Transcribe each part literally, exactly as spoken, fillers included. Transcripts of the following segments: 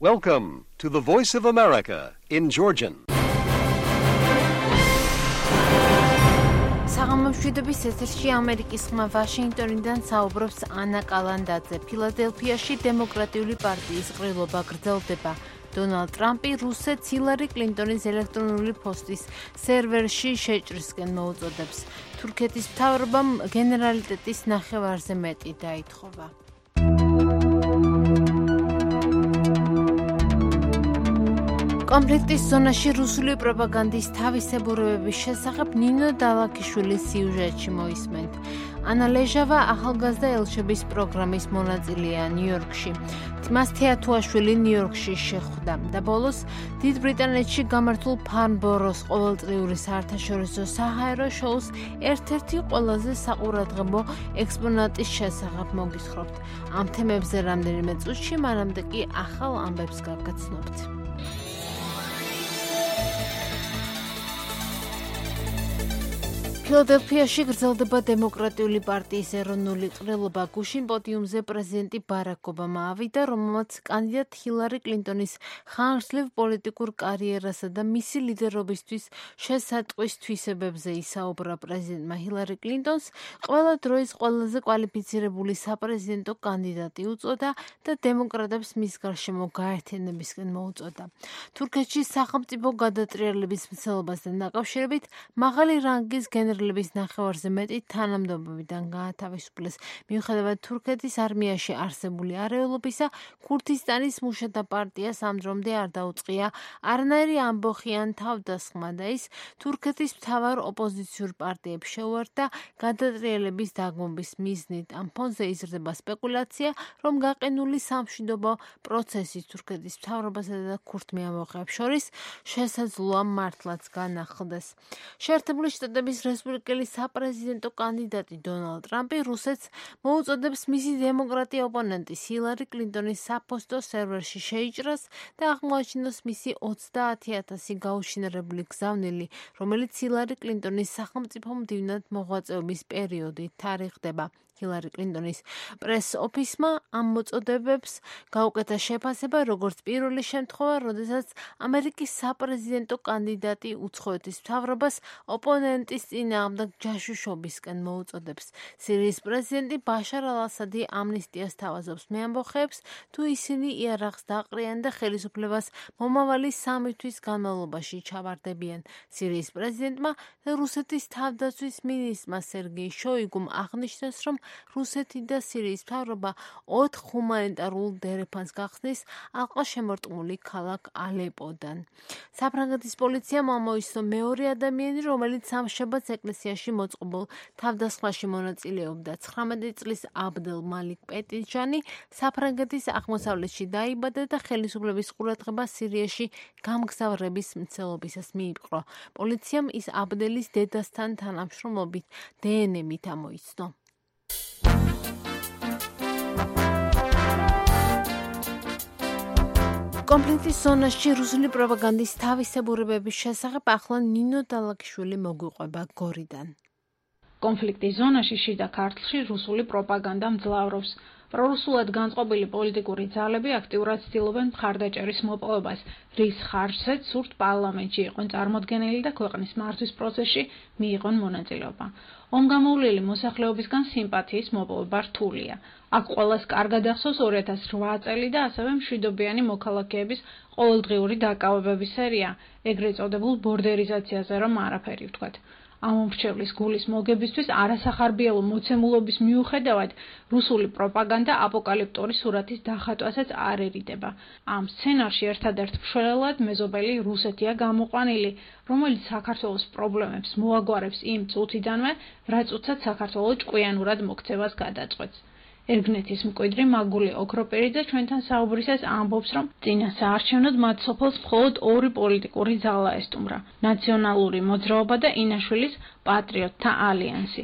Welcome to the Voice of America in Georgian. საღამომშვიდობის ეთერში ამერიკის ხმა ვაშინგტონიდან საუბრობს ანა კალანდაძე. ფილადელფიაში დემოკრატიული პარტიის ყრილობა გრძელდება. დონალდ ტრამპი რუსეთს ჰილარი კლინტონის ელექტრონული პოსტის სერვერში შეჭრისკენ მოუწოდებს. თურქეთის მთავრობამ გენერალიტეტის ნახევარზე მეტი დაითხოვა. კონფლიქტის ზონაში რუსული პროპაგანდის თავისებურებების შესახებ ნინო დალაქიშვილის სიუჟეტში მოისმენთ. ანა ლეჟავა ახალგაზრდა ელჩების პროგრამის მონაწილეა ნიუ-იორკში. მას თეათუაშვილი ნიუ-იორკში შეხვდა და ბოლოს დიდ ბრიტანეთში გამართულ ფარნბოროს ყოველწლიური საერთაშორისო საჰაერო შოუს ერთ-ერთი ყველაზე საყურადღებო ექსპონატის შესახებ მოგისხრობთ. ამ თემებზე რამდენიმე წუთში, მანამდე კი ახალ ამბებს გაგაცნობთ. ფილადელფიაში გრძელდება დემოკრატიული პარტიის ეროვნული ყრილობა. გუშინ პოდიუმზე პრეზიდენტი ბარაკ ობამა ავიდა, რომელმაც კანდიდატ ჰილარი კლინტონის ხანგრძლივ პოლიტიკურ კარიერასა და მისი ლიდერობისთვის შესატყვის თვისებებზე ისაუბრა. პრეზიდენტმა ჰილარი კლინტონს ყველა დროის ყველაზე კვალიფიცირებული საპრეზიდენტო კანდიდატი უწოდა და დემოკრატებს მის გარშემო გაერთიანებისკენ მოუწოდა. თურქეთში სახელმწიფო გადატრიალების მცდელობასთან დაკავშირებით მაღალი რანგის გენერალური ლების ნახევარზე მეტი თანამდებობიდან გაათავისუფლეს. მიუხედავად თურქეთის არმიაში არსებული არეულობისა, ქურთისტანის მუშათა პარტიას ამ დრომდე არ დაუწყია არანაირი ამბოხი ან თავდასხმა და ის თურქეთის მთავარ ოპოზიციურ პარტიებს შეუერთდა გადატრიალების დაგმობის მიზნით. ამ ფონზე იზრდება სპეკულაცია, რომ გაყინული სამშვიდობო პროცესი თურქეთის მთავრობასა და ქურთ მეამბოხეებს შორის შესაძლოა მართლაც განახლდეს. შეერთებული შტატების რესპუბლიკელი საპრეზიდენტო კანდიდატი დონალდ ტრამპი რუსეთს მოუწოდებს მისი დემოკრატი ოპონენტის ჰილარი კლინტონის საფოსტო სერვერში შეიჭრას და აღმოაჩინოს მისი ოცდაათი ათასი გაუშინარებული გზავნილი, რომელიც ჰილარი კლინტონის სახელმწიფო მდივნად მოღვაწეობის პერიოდით თარიღდება. ჰილარი კლინტონის პრეს ოფისმა ამ მოწოდებებს გაუკეთა შეფასება, როგორც პირველი შემთხვევა, როდესაც ამერიკის საპრეზიდენტო კანდიდატი უცხოეთის მთავრობას ოპონენტის წინააღმდეგ ჯაშუშობისკენ მოუწოდებს. სირიის პრეზიდენტი ბაშარ ალ-ასადი ამნისტიას თავაზობს მეამბოხეებს, თუ ისინი იარაღს დაყრიან და ხელისუფლებას მომავალი სამი თვის განმავლობაში ჩავარდებიან. სირიის პრეზიდენტმა და რუსეთის თავდაცვის მინისტრმა სერგეი შოიგუმ აღნიშნეს, რომ რუსეთი და სირიის მთავრობა ოთხ ჰუმანიტარულ დერეფანს გახსნის ალყაშემორტყმული ქალაქ ალეპოდან. საფრანგეთის პოლიციამ ამოისწრო მეორე ადამიანი, რომელიც სამშაბათს ეკლესიაში მოწყობილ თავდასხმაში მონაწილეობდა. ცხრამეტი წლის აბდელ მალიკ პეტიჯანი საფრანგეთის აღმოსავლეთში დაიბადა და ხელისუფლების ყურადღება სირიაში გამგზავრების მცდელობისას მიიპყრო. პოლიციამ ის აბდელის დედასთან თანამშრომლობით დე ენ ე-მით ამოიცნო. კონფლიქტის ზონაში რუსული პროპაგანდის თავისებურებების შესახებ ახლა ნინო დალაქიშვილი მოგვიყვება გორიდან. კონფლიქტის ზონაში შიდა ქართლში რუსული პროპაგანდა მძლავრობს. პრორუსულად განწყობილი პოლიტიკური ძალები აქტიურად ცდილობენ მხარდაჭერის მოპოვებას, რის ხარჯზეც სურთ პარლამენტში იყვნენ წარმოდგენილი და ქვეყნის მართვის პროცესში მიიღონ მონაწილეობა. ომგამოვლილი მოსახლეობისგან სიმპათიის მოპოვება რთულია. აქ ყველას კარგად ახსოვს ორი ათას რვა წელი და ასევე მშვიდობიანი მოქალაქეების ყოველდღიური დაკავებების სერია, ეგრეთ წოდებულ ბორდერიზაციაზე რომ არაფერი ვთქვათ. ამ მომრჩევლის გულის მოგებისთვის არასახარბიელო მოცემულობის მიუხედავად რუსული პროპაგანდა აპოკალიფტური სურათის დახატვასაც არ ერიდება. ამ სცენარში ერთადერთ მშველად მეზობელი რუსეთია გამოყვანილი, რომელიც საქართველოს პრობლემებს მოაგვარებს იმ წუთიდანვე, რაც წუთსაც საქართველო ჭკვიანურად მოქცევას გადაწყვეტს. ერგნეთის მკვიდრი მაგული ოქროპერიძე ჩვენთან საუბრისას ამბობს, რომ წინა საარჩევნოდ მათ სოფელს მხოლოდ ორი პოლიტიკური ძალა ესტუმრა: ნაციონალური მოძრაობა და ინაშვილის პატრიოტთა ალიანსი.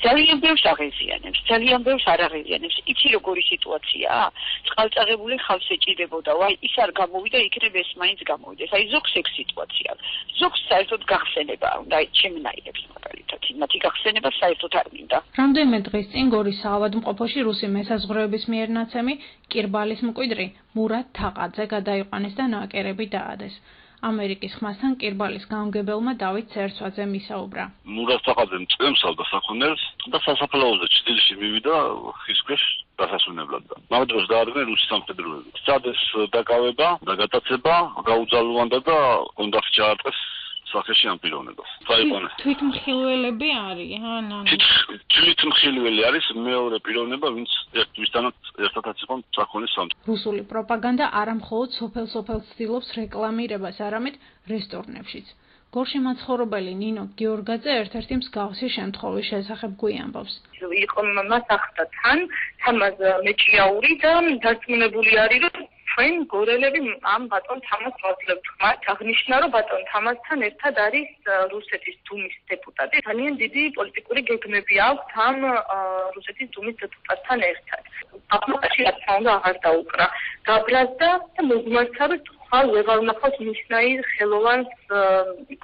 ძალიან ბევრს აღეზიანებს, ძალიან ბევრს არ აღეზიანებს. იცი როგორი სიტუაციაა? წყალწაღებული ხალხს ეჭირებოდა, ვაი, ის არ გამოვიდა, იქნებ ეს მაინც გამოვიდეს. აი ზოგს ეგ სიტუაცია. ზოგს საერთოდ გახსენება უნდა ჩემნაირებს მაგალითად. მათი გახსენება საერთოდ არ მინდა. რამდენიმე დღის წინ გორის საავადმყოფოში რუსი მესაზღვრეების მიერ ნაცემი კირბალის მკვიდრი მურატ თაყაძე გადაიყვანეს და ნაკერები დაადეს. ამერიკის ხმასთან კირბალის გამგებელმა დავით ცერცვაძე მისაუბრა. მურატ თაყაძემ წემსავდა საქონელს და სასაფლაოზე ჭრილში მივიდა ხის ქვეშ დასასვენებლად და მაგდროს დაადგნენ რუსი სამხედროები. სცადეს დაკავება და გატაცება, გაუძალვანდა და უნდა ჩაარტყეს სახეში ამ პიროვნებას. წაიყვანეს. თვითმხილველები არიან, ანუ თვითმხილველი არის მეორე პიროვნება, ვინც ერთვისთანაც ერთადაც იყო საქონლის სამხედრო. რუსული პროპაგანდა არა მხოლოდ სოფელ-სოფელს ცდილობს რეკლამირებას, არამედ რესტორნებშიც. გორში მაცხოვრებელი ნინო გიორგაძე ერთ-ერთი მსგავსი შემთხვევის შესახებ გვიამბობს. იყო მას ახდა თან, თამაზ მეჭიაური და დარწმუნებული არის, რომ ჩვენ გორელები ამ ბატონ თამაზ ვაძლევთ ხმართ. აღნიშნა, რომ ბატონ თამაზთან ერთად არის რუსეთის დუმის დეპუტატი. ძალიან დიდი პოლიტიკური გეგმები აქვს ამ რუსეთის დუმის დეპუტატთან ერთად. აფრიკაში რა თქმა უნდა აღარ დაუკრა. გაბრაზდა და მოგმართა, რომ ხალ ვეღარ ნახავს მისნაირ ხელოვანს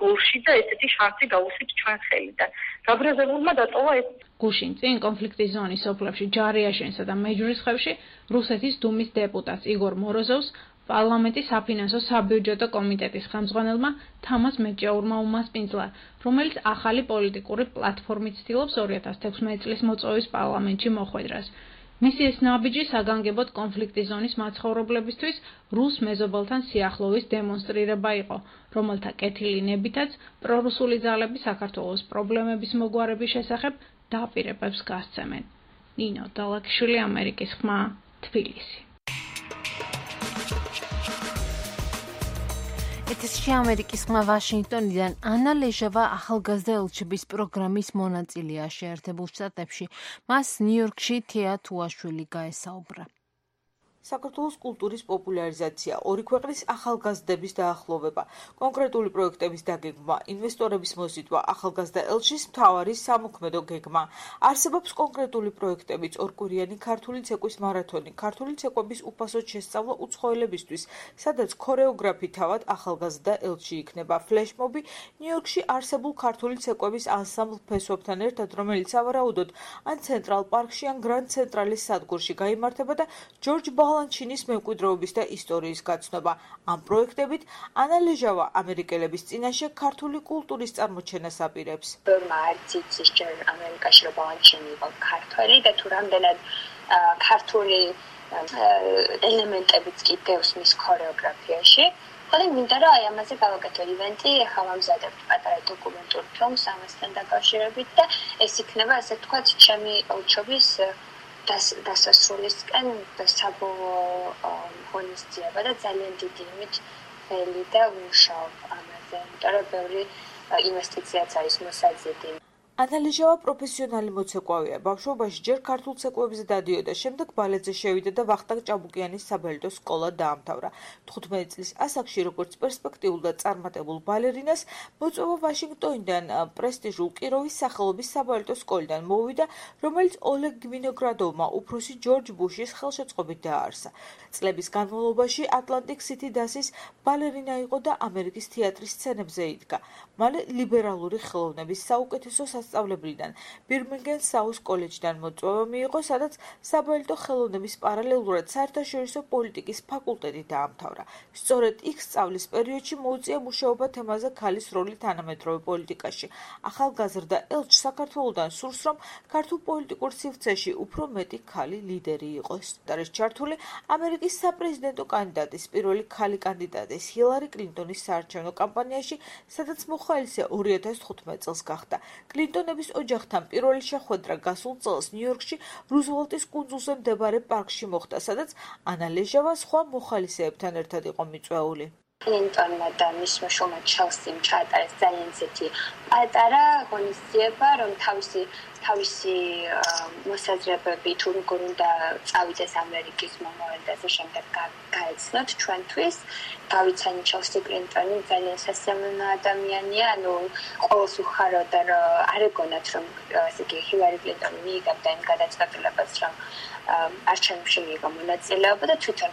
გორში და ესეთი შანსი გავუსვით ჩვენ ხელიდან. გაბრაზებულმა დატოვა ეს. გუშინ წინ კონფლიქტის ზონის სოფლებში ჯარიაშენსა და მეჯვრისხევში რუსეთის დუმის დეპუტატს იგორ მოროზოვს პარლამენტის საფინანსო საბიუჯეტო კომიტეტის ხელმძღვანელმა თამაზ მეჭიაურმა უმასპინძლა, რომელიც ახალი პოლიტიკური პლატფორმით ცდილობს ორი ათას თექვსმეტი წლის მოწვევის პარლამენტში მოხვედრას. მისი ეს ნაბიჯი საგანგებოდ კონფლიქტის ზონის მაცხოვრებლებისთვის რუს მეზობელთან სიახლოვის დემონსტრირება იყო, რომელთა კეთილინებითაც პრორუსული ძალები საქართველოს პრობლემების მოგვარების შესახებ დაპირებებს გასცემენ. ნინო დალაკიშვილი, ამერიკის ხმა, თბილისი. ეთერში ამერიკის ხმა ვაშინგტონიდან ანა ლეჟავა ახალგაზრდა ელჩების პროგრამის მონაწილეა შეერთებულ შტატებში. მას ნიუ-იორკში თეა თუაშვილი გაესაუბრა. საქართველოს კულტურის პოპულარიზაცია, ორი ქვეყნის ახალგაზრდების დაახლოვება, კონკრეტული პროექტების დაგეგმვა, ინვესტორების მოზიდვა, ახალგაზრდა ელჩის მთავარი სამოქმედო გეგმა. არსებობს კონკრეტული პროექტებიც, ორკვირიანი ქართული ცეკვის მარათონი, ქართული ცეკვების უფასოდ შესწავლა უცხოელებისთვის, სადაც ქორეოგრაფი თავად ახალგაზრდა ელჩი იქნება. ფლეშმობი ნიუ-იორკში არსებულ ქართული ცეკვების ანსამბლ ფესვებთან ერთად, რომელიც სავარაუდოდ ან ცენტრალ პარკში, ან გრანდ ცენტრალის სადგურში გაიმართება და ჯორჯ ლანჩინის მემკვიდრეობის და ისტორიის გაცნობა. ამ პროექტებით ანა ლეჟავა ამერიკელების წინაშე ქართული კულტურის წარმოჩენას აპირებს. ბევრმა არც იცის ჯერ ამერიკაში რომ ლანჩინი იყო ქართველი და თუ რამდენად ქართული ელემენტებიც კი დევს მის ქორეოგრაფიაში. ხოლო მინდა რომ აი ამაზე გავაკეთო ივენტი, ახლა ვამზადებთ პატარა დოკუმენტურ ფილმს ამასთან დაკავშირებით და ეს იქნება ასე ვთქვათ ჩემი ელჩობის დასასრულისკენ საბოლოო ღონისძიება და ძალიან დიდი იმით ველი და ვმუშაობ ამაზე, იმიტომ რომ ბევრი ინვესტიციაც არის მოსაზრდილი. ანა ლეჟავა პროფესიონალი მოცეკვავია. ბავშვობაში ჯერ ქართულ ცეკვებზე დადიოდა, შემდეგ ბალეტზე შევიდა და ვახტანგ ჭაბუკიანის საბალეტო სკოლა დაამთავრა. თხუთმეტი წლის ასაკში, როგორც პერსპექტიულ და წარმატებულ ბალერინას, მოწვევა ვაშინგტონიდან პრესტიჟულ კიროვის სახელობის საბალეტო სკოლიდან მოვიდა, რომელიც ოლეგ გვინოგრადოვმა უფროსი ჯორჯ ბუშის ხელშეწყობით დააარსა. წლების განმავლობაში ატლანტიკ სიტი დასის ბალერინა იყო და ამერიკის თეატრის სცენებზე იდგა. მალე ლიბერალური ხელოვნების საუკეთესო სასწავლებლიდან ბირმინგემ საუს კოლეჯიდან მოწვევა მიიღო, სადაც საბალეტო ხელოვნების პარალელურად საერთაშორისო პოლიტიკის ფაკულტეტი დაამთავრა. სწორედ იქ სწავლის პერიოდში მოუწია მუშაობა თემაზე ქალის როლი თანამედროვე პოლიტიკაში. ახალგაზრდა ელჩს საქართველოდან სურს, რომ ქართულ პოლიტიკურ სივრცეში უფრო მეტი ქალი ლიდერი იყოს. არის ჩართული ამერიკის საპრეზიდენტო კანდიდატის პირველი ქალი კანდიდატის ჰილარი კლინტონის საარჩევნო კამპანიაში, სადაც მოხალისე ორი ათას თხუთმეტი წელს გახდა. კლინტონების ოჯახთან პირველი შეხვედრა გასულ წელს ნიუ-იორკში რუზველტის კუნძულზე მდებარე პარკში მოხდა, სადაც ანა ლეჟავა სხვა მოხალისეებთან ერთად იყო მიწვეული. კლინტონმა და მისმა შვილმა ჩელსიმ ჩაატარეს ძალიან ისეთი პატარა ღონისძიება, რომ თავისი თავისი მოსაზრებები თუ როგორ უნდა წავიდეს ამერიკის მომავალ და ასე შემდეგ გაეცნოთ ჩვენთვის. დავიცანი ჩელსი კლინტონი ძალიან სასიამოვნო ადამიანია, ანუ ყოველს უხაროდა, რომ არ ეგონათ, რომ ასე იგი ჰილარი კლინტონი მიიღებდა იმ გადაწყვეტილებას, რომ არჩევნებში მიიღო მონაწილეობა და თვითონ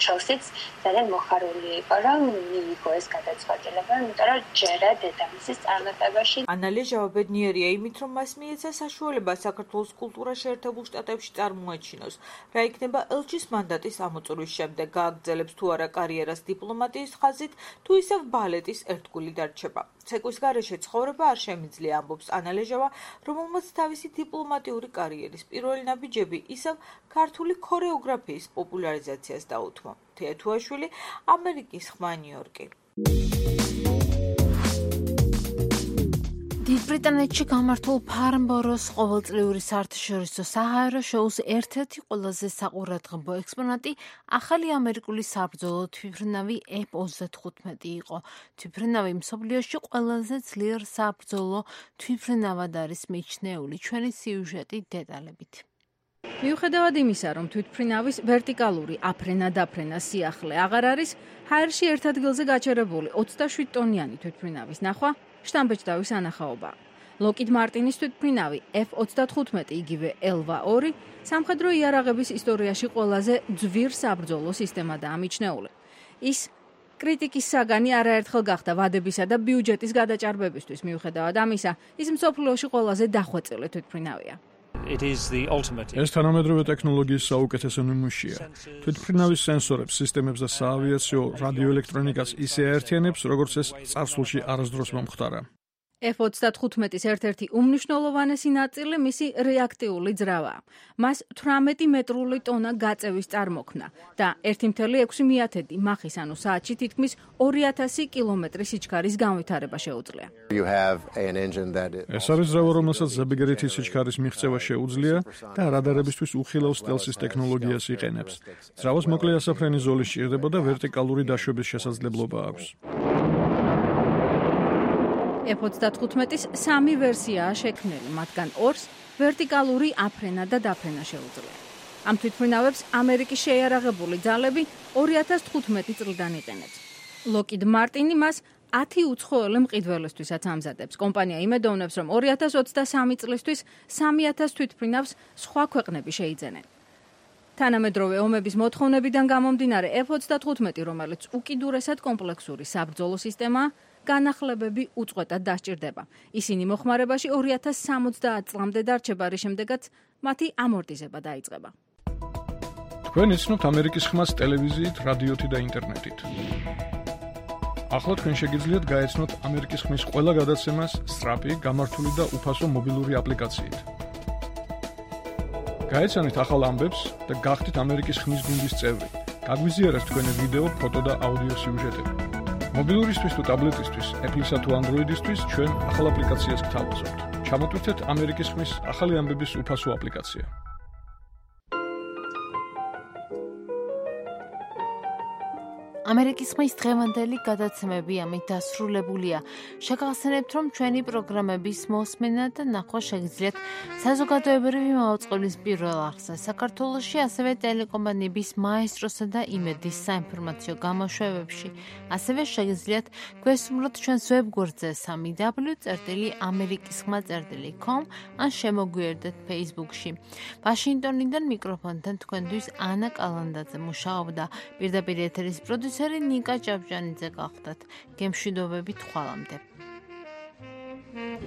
ჩელსიც ძალიან მოხარული იყო, რომ მიიღო ეს გადაწყვეტილება, იმიტომ რომ ჯერა დედამისის წარმატებაში. ანალიზა ბედნიერია იმით, რომ მას მიეცა საშუალება საქართველოს კულტურა შეერთებულ შტატებში წარმოაჩინოს. რა იქნება ელჩის მანდატის ამოწურვის შემდეგ, გააგრძელებს თუ არა კარიერას დიპლომატიის ხაზით, თუ ისევ ბალეტის ერთგული დარჩება. ცეკვის გარეშე ცხოვრება არ შემიძლია, ამბობს ანალეჟავა, რომელმაც თავისი დიპლომატიური კარიერის პირველი ნაბიჯები ისევ ქართული ქორეოგრაფიის პოპულარიზაციას დაუთმო. თეათუაშვილი, ამერიკის ხმა ნიუ-იორკი. დიდ ბრიტანეთში გამართულ ფარნბოროს ყოველწლიური საერთაშორისო საჰაერო შოუს ერთ-ერთი ყველაზე საყურადღებო ექსპონატი ახალი ამერიკული საბრძოლო თვითმფრინავი ეფ ოცდათხუთმეტი იყო. თვითმფრინავი მსოფლიოში ყველაზე ძლიერ საბრძოლო თვითმფრინავად არის მიჩნეული. ჩვენი სიუჟეტი დეტალებით. მიუხედავად იმისა, რომ თვითმფრინავის ვერტიკალური აფრენა-დაფრენა სიახლე აღარ არის, ჰაერში ერთ ადგილზე გაჩერებული ოცდაშვიდ ტონიანი თვითმფრინავის ნახვა შტამბეჭდავის ანახაობა. ლოკიდ მარტინის თვითმფრინავი ეფ ოცდათხუთმეტი, იგივე ელვა ორი, სამხედრო იარაღების ისტორიაში ყველაზე ძვირ საბრძოლო სისტემადაა მიჩნეული. ის კრიტიკის საგანი არაერთხელ გახდა ვადებისა და ბიუჯეტის გადაჭარბებისთვის. მიუხედავად ამისა, ის მსოფლიოში ყველაზე დახვეწილი თვითმფრინავია. ეს თანამედროვე ტექნოლოგიის საუკეთესო ნიმუშია. თვითმფრინავის სენსორებს, სისტემებს და საავიაციო რადიოელექტრონიკას ისე აერთიანებს, როგორც ეს წარსულში არასდროს მომხდარა. ეფ ოცდათხუთმეტის ერთ-ერთი უმნიშვნელოვანესი ნაწილი მისი რეაქტიული ძრავაა. მას თვრამეტი მეტრული ტონა გაწევის წარმოქმნა და ერთი მცდელო ექვსი მეათედი მახის, ანუ საათში თითქმის ორი ათასი კილომეტრის სიჩქარის განვითარება შეუძლია. ეს არის ძრავა, რომელსაც ზებიგერითის სიჩქარის მიღწევა შეუძლია და რადარებისთვის უხილავ სტელსის ტექნოლოგიას იყენებს. ძრავას მოკლე ასაფრენი ზოლი სჭირდება და ვერტიკალური დაშვების შესაძლებლობა აქვს. ეფ ოცდათხუთმეტის სამი ვერსიაა შექმნილი, მათგან ორს ვერტიკალური აფრენა და დაფრენა შეუძლია. ამ თვითმფრინავებს ამერიკის შეიარაღებული ძალები ორი ათას თხუთმეტი წლიდან იყენებს. ლოკიდ მარტინი მას ათი უცხოელი მყიდველისთვისაც ამზადებს. კომპანია იმედოვნებს, რომ ორი ათას ოცდასამი წლისთვის სამი ათას თვითმფრინავს სხვა ქვეყნები შეიძენენ. თანამედროვე ომების მოთხოვნებიდან გამომდინარე ეფ ოცდათხუთმეტი, რომელიც უკიდურესად კომპლექსური საბრძოლო სისტემაა, განახლებები უწყვეტად დასჭირდება. ისინი მოხმარებაში ორი ათას სამოცდაათ წლამდე დარჩება, რის შემდეგაც მათი ამორტიზება დაიწყება. თქვენ იცნობთ ამერიკის ხმას ტელევიზიით, რადიოთი და ინტერნეტით. ახლა თქვენ შეგიძლიათ გაეცნოთ ამერიკის ხმის ყველა გადაცემას სწრაფი, გამართული და უფასო მობილური აპლიკაციით. გაეცანით ახალ ამბებს და გახდით ამერიკის ხმის გუნდის წევრი. გაგვიზიარეთ თქვენი ვიდეო, ფოტო და აუდიო სიუჟეტები. მობილურისთვის თუ ტაბლეტისთვის, Apple-ისა თუ Android-ისთვის ჩვენ ახალ აპლიკაციას გთავაზობთ. ჩამოტვირთეთ ამერიკის ხმის ახალი ამბების უფასო აპლიკაცია. ამერიკის ხმის დღევანდელი გადაცემები ამით დასრულებულია. შეგახსენებთ, რომ ჩვენი პროგრამების მოსმენა და ნახვა შეგიძლიათ საზოგადოებრივი მაუწყებლის პირველ არხზე საქართველოში, ასევე ტელეკომპანიების მაესტროსა და იმედის საინფორმაციო გამოშვებებში. ასევე შეგიძლიათ გვესურვოთ ჩვენს ვებგვერდზე სამი დაბლიუ წერტილი ამერიკის ხმა წერტილი com ან შემოგვიერთდეთ Facebook-ში. ვაშინგტონიდან მიკროფონთან თქვენთვის ანა კალანდაძე მუშაობდა. პირდაპირ ეთერის პროდიუსერი ნიკა ჭავჭანიძე გახდათ. გემშვიდობებით ხვალამდე. Thank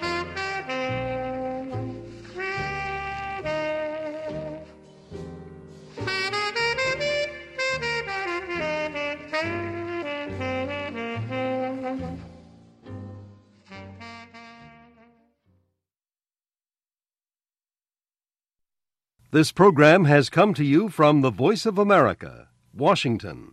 you. This program has come to you from the Voice of America, Washington.